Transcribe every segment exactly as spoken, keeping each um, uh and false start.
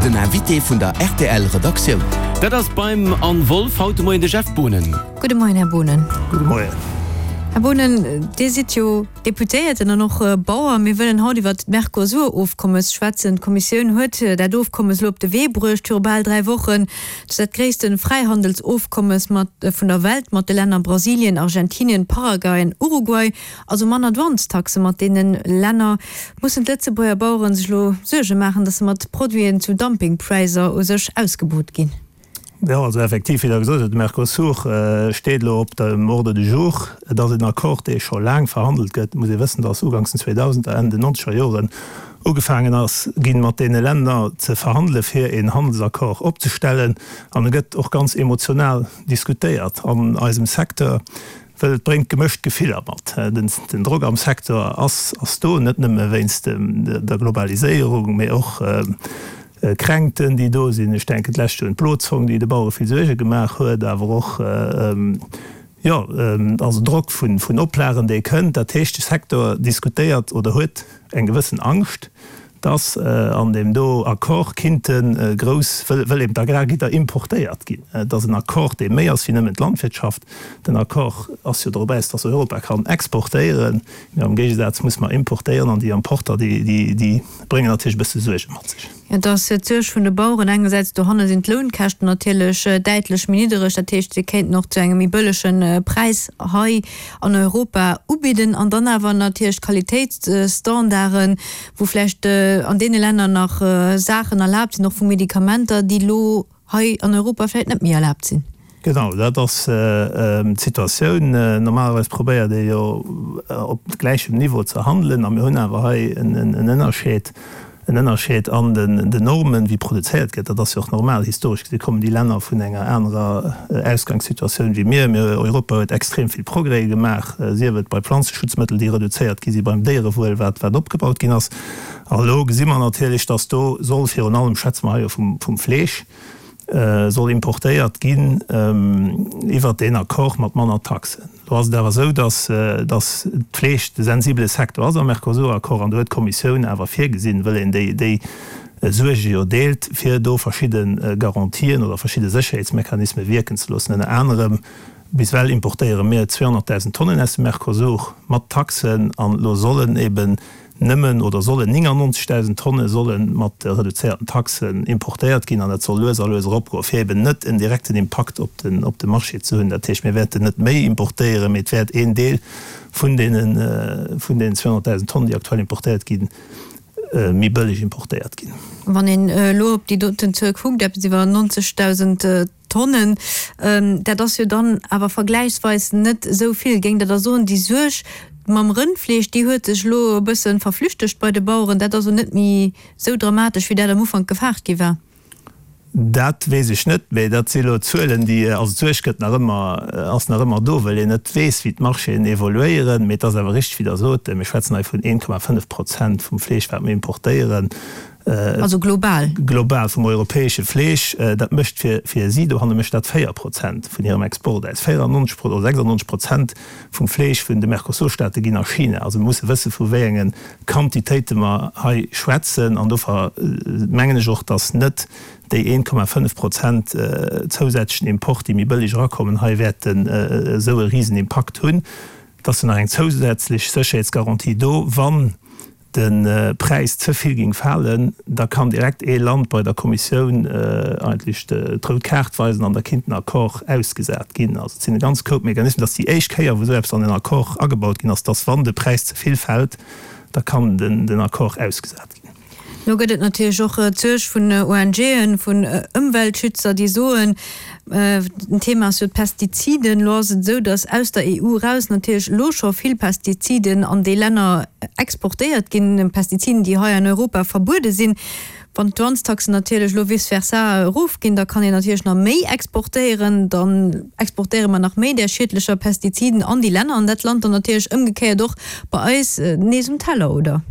Den Invité vun der R T L Redaktioun. Dat ass beim Anne Wolff haut de Moien de Jeff Boonen. Gudde Moien, Här Boonen. Gudde Moien. Här Boonen, Dir sidd jo Deputéierten an och Bauer. Mir wëllen haut iwwert d'Mercosur-Ofkommes schwätzen. D'Kommissioun huet dat Ofkommes elo op de Wee bruecht viru bal dräi Wochen. Dat ass dat gréisste Fräihandelsofkommes mat vun der Welt mat de Länner Brasilien, Argentinien, Paraguay an Uruguay. Also manner Douanestaxe mat deene Länner. Mussen d'Lëtzebuerger Baueren sech elo Suerge maachen, datt se mat Produiten zu Dumpingpräisser u sech ausgebut ginn? Jo, also effektiv, wéi Der gesot hutt, de Mercosur steet elo op dem Ordre du jour. Et ass en Accord, dee scho laang verhandelt gëtt. Et muss ee wëssen, dass uganks den zweedausender, Enn den nonzeger Joren ugefaangen ass ginn, mat deene Länner ze verhandele fir een Handelsaccord opzestellen. An e gëtt och ganz emotional diskutéiert an eisem Secteur, well et bréngt gemëscht Gefiller mat. Den Drock am Secteur ass ass do, net nëmme wéinst der Globaliséierung, mee och Kränkten, déi do sinn. Ech denken d'lescht Joer un d'Blozong, déi de Bauere vill Suerge gemaach huet, awer och, jo, also Drock vun Oplagen, dee kënnt. Dat heescht, de Secteur diskutéiert oder huet eng gewëssen Angscht, dass an deem do Accord kinnte grouss, wëll eben d'Agrargidder importéiert ginn. Et ass en Accord, dee méi ass wéi nëmmen d'Landwirtschaft. Den Accord ass jo drop aus, dass Europa kann exportéieren, mä am Géigesaz muss mer importéieren an déi Importer, déi bréngen natierlech e bësse Suerge mat sech. Et ass d'Suerg vun de Baueren engersäits, dohanne sinn d'Lounkäschten natierlech däitlech méi niddereg, dat heescht, si kéinten och zu engem méi bëllege Präis hei an Europa ubidden, an dann awer natierlech d'Qualitéitsstandarden, wou vläicht an deene Länner nach Saachen erlaabt sinn, och vu Medikamenter, déi elo hei an Europa vläicht net méi erlaabt sinn. Genau, dat ass d'Situatioun. Normalerweis probéiert ee jo op gläichem Niveau ze handelen a mir hunn awer hei en Ënnerscheed, en Ënnerscheed an den Normen, wéi produzéiert gëtt. Dat ass jo och normal. Historesch gesi kommen déi Länner vun enger anerer Ausgangssituatioun wéi mir. Mir, Europa huet extrem vill Progrèse gemaach, sief et bei Planzeschutzmëttel, déi reduzéiert gi si, beim Déierewuel, wat wat opgebaut ginn ass. A elo gesi mer natierlech, datt do soll virun allem, schwätze mer hei jo vum Fleesch, soll importéiert ginn iwwert deen Accord mat manner Taxen. Elo ass et awer esou, datt datt d'Fleesch de sensibele Secteur ass am Mercosur-Accord an do huet d'Kommissioun awer virgesinn, wëll een déi déi Suerge jo deelt, fir do verschidde Garantien oder verschidde Sécherheetsmechanisme wierken ze loossen. Ënner anerem, bis ewell importéiere mir zweehonnertdausend Tonnen aus dem Mercosur mat Taxen an elo sollen eben nëmmen oder sollen néngannonzegdausend Tonne solle mat reduzéierten Taxen importéiert ginn an dat soll lues a lues eropgoen, fir eben net en direkten Impakt op den op de Marché ze hunn. Dat heescht, mir wäerten net méi importéieren, mee et wäert een Deel vun deenen vun deenen zweehonnertdausend Tonnen, déi aktuell importéiert ginn, méi bëlleg importéiert ginn. Wann een elo op déi doten Zuel kuckt, eppes iwwer nonzegdausend Tonnen, dat ass jo dann awer vergläichsweis net esou vill. Géingt Der da soen, déi Suerg mam Rëndfleesch, déi huet sech elo e bësse verflüchtegt bei de Baueren, dat ass elo net méi esou dramatesch, wéi dat am Ufank gefaart gi war? Dat weess ech net, mee dat si elo Zuelen, déi, also d'Suerg gëtt nach ëmmer, ass nach ëmmer do, well een net weess, wéi d'Marchéen evoluéieren. Mee et ass awer richteg, wéi Der sot, mir schwätzen hei vun een Komma fënnef Prozent vum Fleesch, wat mir importéieren. Also global? Global vum europäesche Fleesch. Dat mécht fir, fir si dohanne mécht dat véier Prozent vun hirem Export aus. véierannonzeg oder sechsannonzeg Prozent vum Fleesch vun de Mercosur-Staate ginn a China. Also mir musse wësse vu wéi enge Quantitéite mer hei schwätzen. An dofir mengen ech och, datt net déi een Komma fënnef Prozent zousätzlechen Import, déi méi bëlleg erakommen, hei wäerten esou e Risenimpakt hunn. Et ass jo nach eng zousätzlech Sécherheetsgarantie do, wann de Präis ze vill géing falen, da kann direkt ee Land bei der Kommissioun eigentlech d'rout Kaart weisen an da kinnt den Accord ausgesat ginn. Also et sinn e ganz Koup Mechanismen. Et ass déi éischt Kéier, wou esou eppes an en Accord agebaut ginn ass, dass wann de Präis ze vill fält, da kann den Accord ausgesat ginn. Lo gëtt et natierlech och d'Suerg vun O N G'en, vun Ëmweltschützer, déi soen, den Thema ass jo d'Pestiziden. Lo ass et esou, datt aus der E U eraus natierlech elo scho vill Pestiziden an déi Länner exportéiert ginn, Pestiziden, déi hei an Europa verbuede sinn. Wann d'Douanestaxen natierlech elo vice versa erofginn, da kann een natierlech nach méi exportéieren. Dann exportéiere mer nach méi där schiedlecher Pestiziden an déi Länner an dat lant dann natierlech ëmgekéiert och bei eis nees um Teller, oder?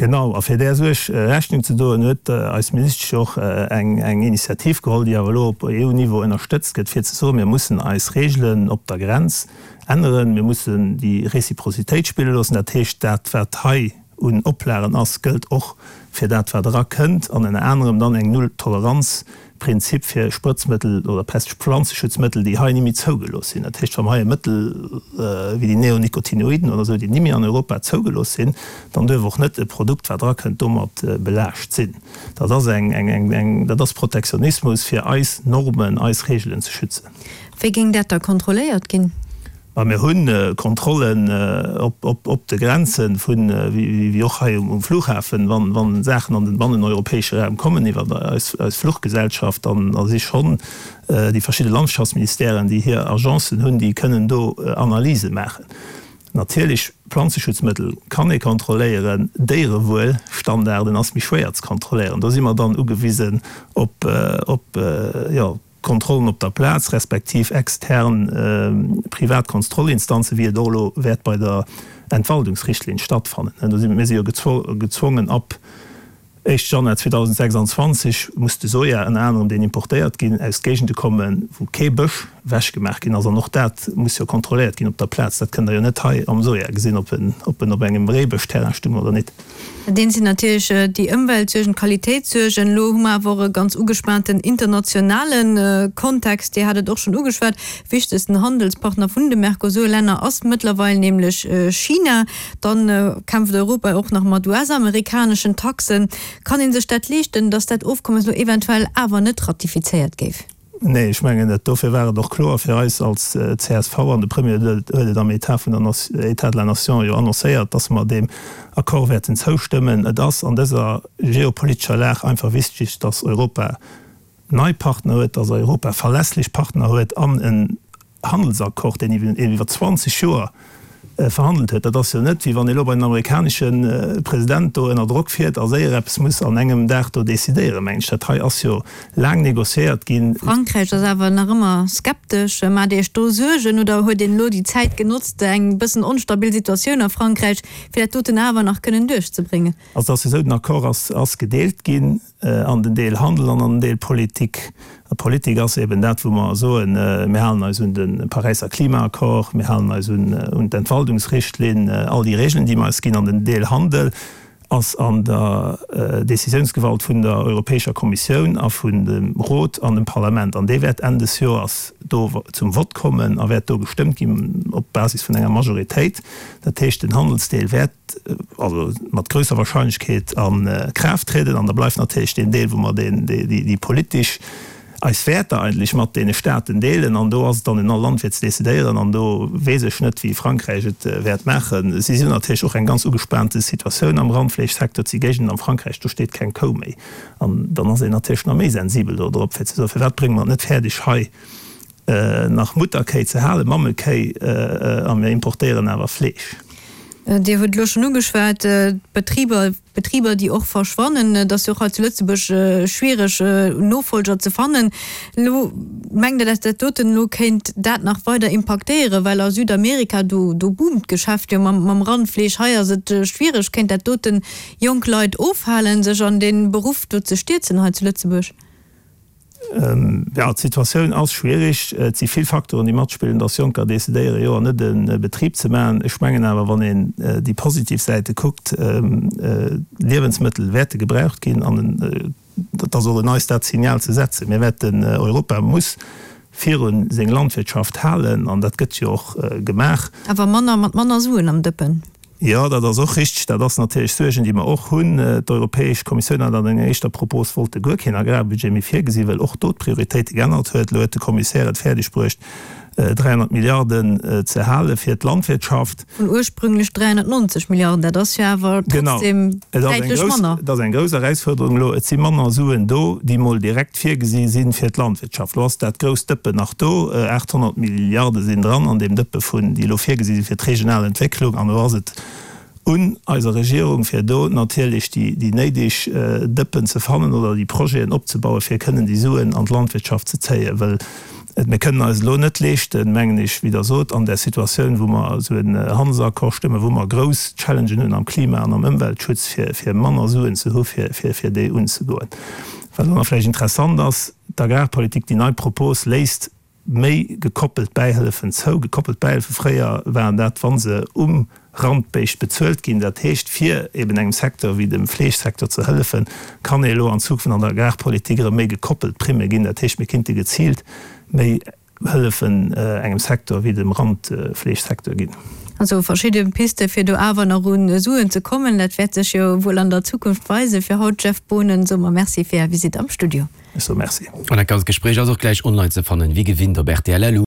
Genau, a fir där Suerg Rechnung ze doen, huet eis Ministesch och eng Initiativ geholl, déi awer elo op E U-Niveau ënnerstëtzt gëtt, fir ze soen, mir mussen eis Regeln op der Grenz änneren, mir mussen déi Réciprocitéit spille loossen. Dat heescht, dat wat hei un Oplagen ass, gëllt och fir dat wat erakënnt an ënner anerem dann eng Null-Toleranz-Prinzip fir Sprëtzmëttel oder Pest-Pflanzeschutzmëttel, déi hei ni méi zougelooss sinn. Dat heescht, wa mer hei e Mëttel wéi déi Neonicotinoiden oder esou, déi ni méi an Europa zougelooss sinn, dann duerf och net e Produkt, wat erakënnt, domat belaascht sinn. Dat ass eng, eng, eng, eng, dat ass Protektionismus, fir eis Normen, eis Regeln ze schützen. Wéi géing dat da kontrolléiert ginn? Ma mir hu Kontrollen op de Grenzen, wéi och hei um Flughafen, wa Saachen an den banneneuropäesche Raum kommen iwwer eis Fluchgesellschaft, dann si schonn déi verschidde Landschaftsministèren, déi hir Agencen hunn, déi kënnen do Analyse maachen. Natierlech, Planzeschutzmëttel kann ee kontrolléieren, Déierewuelstandarden ass méi schwéier ze kontrolléieren. Do si mer dann ugewisen op, jo, Kontrollen op der Plaz, respektiv extern privat Konstrollinstanzen, wéi et och elo wäert bei der Entwaldungsrichtlinn stattfannen. Do si mir si jo gezwongen, ab éischt Januar zweedausendsechsundzwanzeg muss de Soja ënner anerem, deen importéiert ginn, aus Géigende kommen, wou kee Bësch wechgemaach ginn ass. An och dat muss jo kontrolléiert ginn op der Plaz. Dat kënnt Der jo net hei am Soja gesinn, ob en ob en op engem Reebëschterrain stung oder net. Dat eent sinn natierlech déi Ëmweltsuergen, d'Qualitéitssuergen. Elo hu mer awer och e ganz ugespaanten internationale Kontext. Dir hat et och schonn ugeschwat, wichtegsten Handelspartner vun de Mercosur-Länner ass mëttlerweil nämlech China. Dann kämpft Europa och nach mat U S-amerikaneschen Taxen. Kann ee sech dat leeschten, datt dat Ofkommes elo eventuell awer net ratifizéiert géif? Nee, ech mengen net. Dofir war et och kloer fir eis als C S V, an de Premier huet et am État vun der État de la Nation jo annoncéiert, dass mer deem Accord wäerten zoustëmmen. Et ass an dëser geopolitescher Lag einfach wichtig, dass Europa nei Partner huet, dass Europa verlässlech Partner huet an en Handelsaccord, deen iwwer zwanzeg Joer verhandelt huet. Dat ass jo net, wéi wann ee lo bei den amerikanesche President do ënner Drock fiert a séier eppes muss an engem Dag do decidéieren, mengen ech. Dat hei ass jo laang négociéiert ginn. Frankräich ass awer nach ëmmer skeptesch. Maacht Dir Iech do Suergen oder huet een elo déi Zäit genotzt, eng bëssen onstabil Situatioun a Frankräich, fir dat doten awer nach kënnen duerchzebréngen? Also et ass jo esou, den Accord ass ass gedeelt ginn an den Deel Handel an an den Deel Politik. A Politik ass eben dat, wou mer soen, mir halen eis un de Paräisser Klimaaccord, mir halen eis un d'Entwaldungsrichtlinn, all déi Regeln, déi mer eis ginn. An den Deel Handel ass an der Décisiounsgewalt vun der Europäescher Kommissioun a vun dem Rot an dem Parlament. An dee wäert Enn des Joers do zum Vott kommen a wäert do gestëmmt ginn op Basis vun enger Majoritéit. Dat heescht, den Handelsdeel wäert also mat grousser Wahrscheinlechkeet a Kraaft trieden. An da bleift natierlech deen Deel, wou mer déi politesch, eis Wäerter eigentlech mat deene Staaten deelen. An do ass et dann un all Land fir ze decidéieren. An do weess ech net, wéi Frankräich et wäert maachen. Si hunn natierlech och eng ganz ugespaante Situatioun am Randfleeschsecteur. Et si Géigenden am Frankräich, do steet keng Kou méi. An dann ass een natierlech nach méi sensibel do drop, fir ze soen, Firwat brénge mer et net fäerdeg hei nach Mutterkéi ze halen, Mammekéi, a mir importéieren awer Fleesch? Dir hutt elo schonn ugeschwat, d'Betriber, Betriber, déi och verschwannen. Et ass jo och hei zu Lëtzebuerg schwiereg, Nofolger ze fannen. Elo mengt Der, dass dat doten elo kéint dat nach weider impaktéieren? Well a Südamerika, do, do boomt d'Geschäft jo mam, mam Randfleesch. Hei ass et schwiereg. Kéint dat doten jonk Leit ofhalen, sech an dee Beruff do ze stierzen hei zu Lëtzebuerg? Jo, d'Situatioun ass schwierig. Et si vill Faktoren, déi matspillen, dass Jonker decidéieren, jo an net e Betrib ze maachen. Ech mengen awer, wann een déi positiv Säite kuckt, Liewensmëttel wäerte gebraucht ginn an et ass och un eis, dat Signal ze setzen. Mir wäerten, Europa muss virun seng Landwirtschaft halen an dat gëtt jo och gemaach. Awer manner, mat manner Suen am Dëppen. Jo, dat ass och richteg. Dat ass natierlech Suergen, déi mer och hunn. D'Europäesch Kommissioun hat an enger éischter Propos wollte guer keen Agrarbudget méi virgesinn, well och do d'Prioritéite geännert huet. Elo huet de Kommissär et fäerdeg bruecht, dräihonnert Milliarden ze hale fir d'Landwirtschaft. Vun ursprünglech dräihonnertneunzeg Milliarden. Dat ass jo awer trotzdem däitlech manner. Et ass eng grouss Erausfuerderung elo. Et si manner Suen do, déi mol direkt virgesi si fir d'Landwirtschaft. Elo ass dat grousst Dëppen nach do. aathonnert Milliarde sinn dran an deem Dëppe vun, déi elo virgesi si fir d'regional Entwécklung. An elo ass et un eiser Regierung, fir do natierlech déi néideg Dëppen ze fannen oder déi Projeten opzebauen, fir kënnen déi Suen an d'Landwirtschaft ze zéien. Well mir kënnen eis elo net leeschten, mengen ech, wéi Der sot, an där Situatioun, wou mer esou en Handelsaccord stëmmen, wou mer grouss Challengen hunn am Klima an am Ëmweltschutz, fir manner Suen ze hu fir déi unzegoen. Wat och nach vläicht interessant ass, D'Agrarpolitik, déi nei Propos léisst méi gekoppelt Bäihëllefen zou. Gekoppelt Bäihëllefe fréier waren dat, wa se um Randbéischt bezuelt ginn. Dat heescht, fir eben engem Secteur wéi dem Fleeschsecteur ze hëllefen, kann ee elo an Zukunft an der Agrarpolitik erëm méi gekoppelt Primme ginn. Dat heescht, mir kinnte geziilt méi Hëllefen engem Secteur wéi dem Randfleeschsecteur ginn. Also verschidde Piste fir do awer nach un Suen ze kommen, dat wäert sech jo wuel an der Zukunft weisen. Fir haut, Jeff Boonen, soe mer Merci fir Är Visitt am Studio. Ech soe Merci. An dat ganzt Gespréich ass och gläich online ze fannen, wéi gewinnt op rtl. Lu.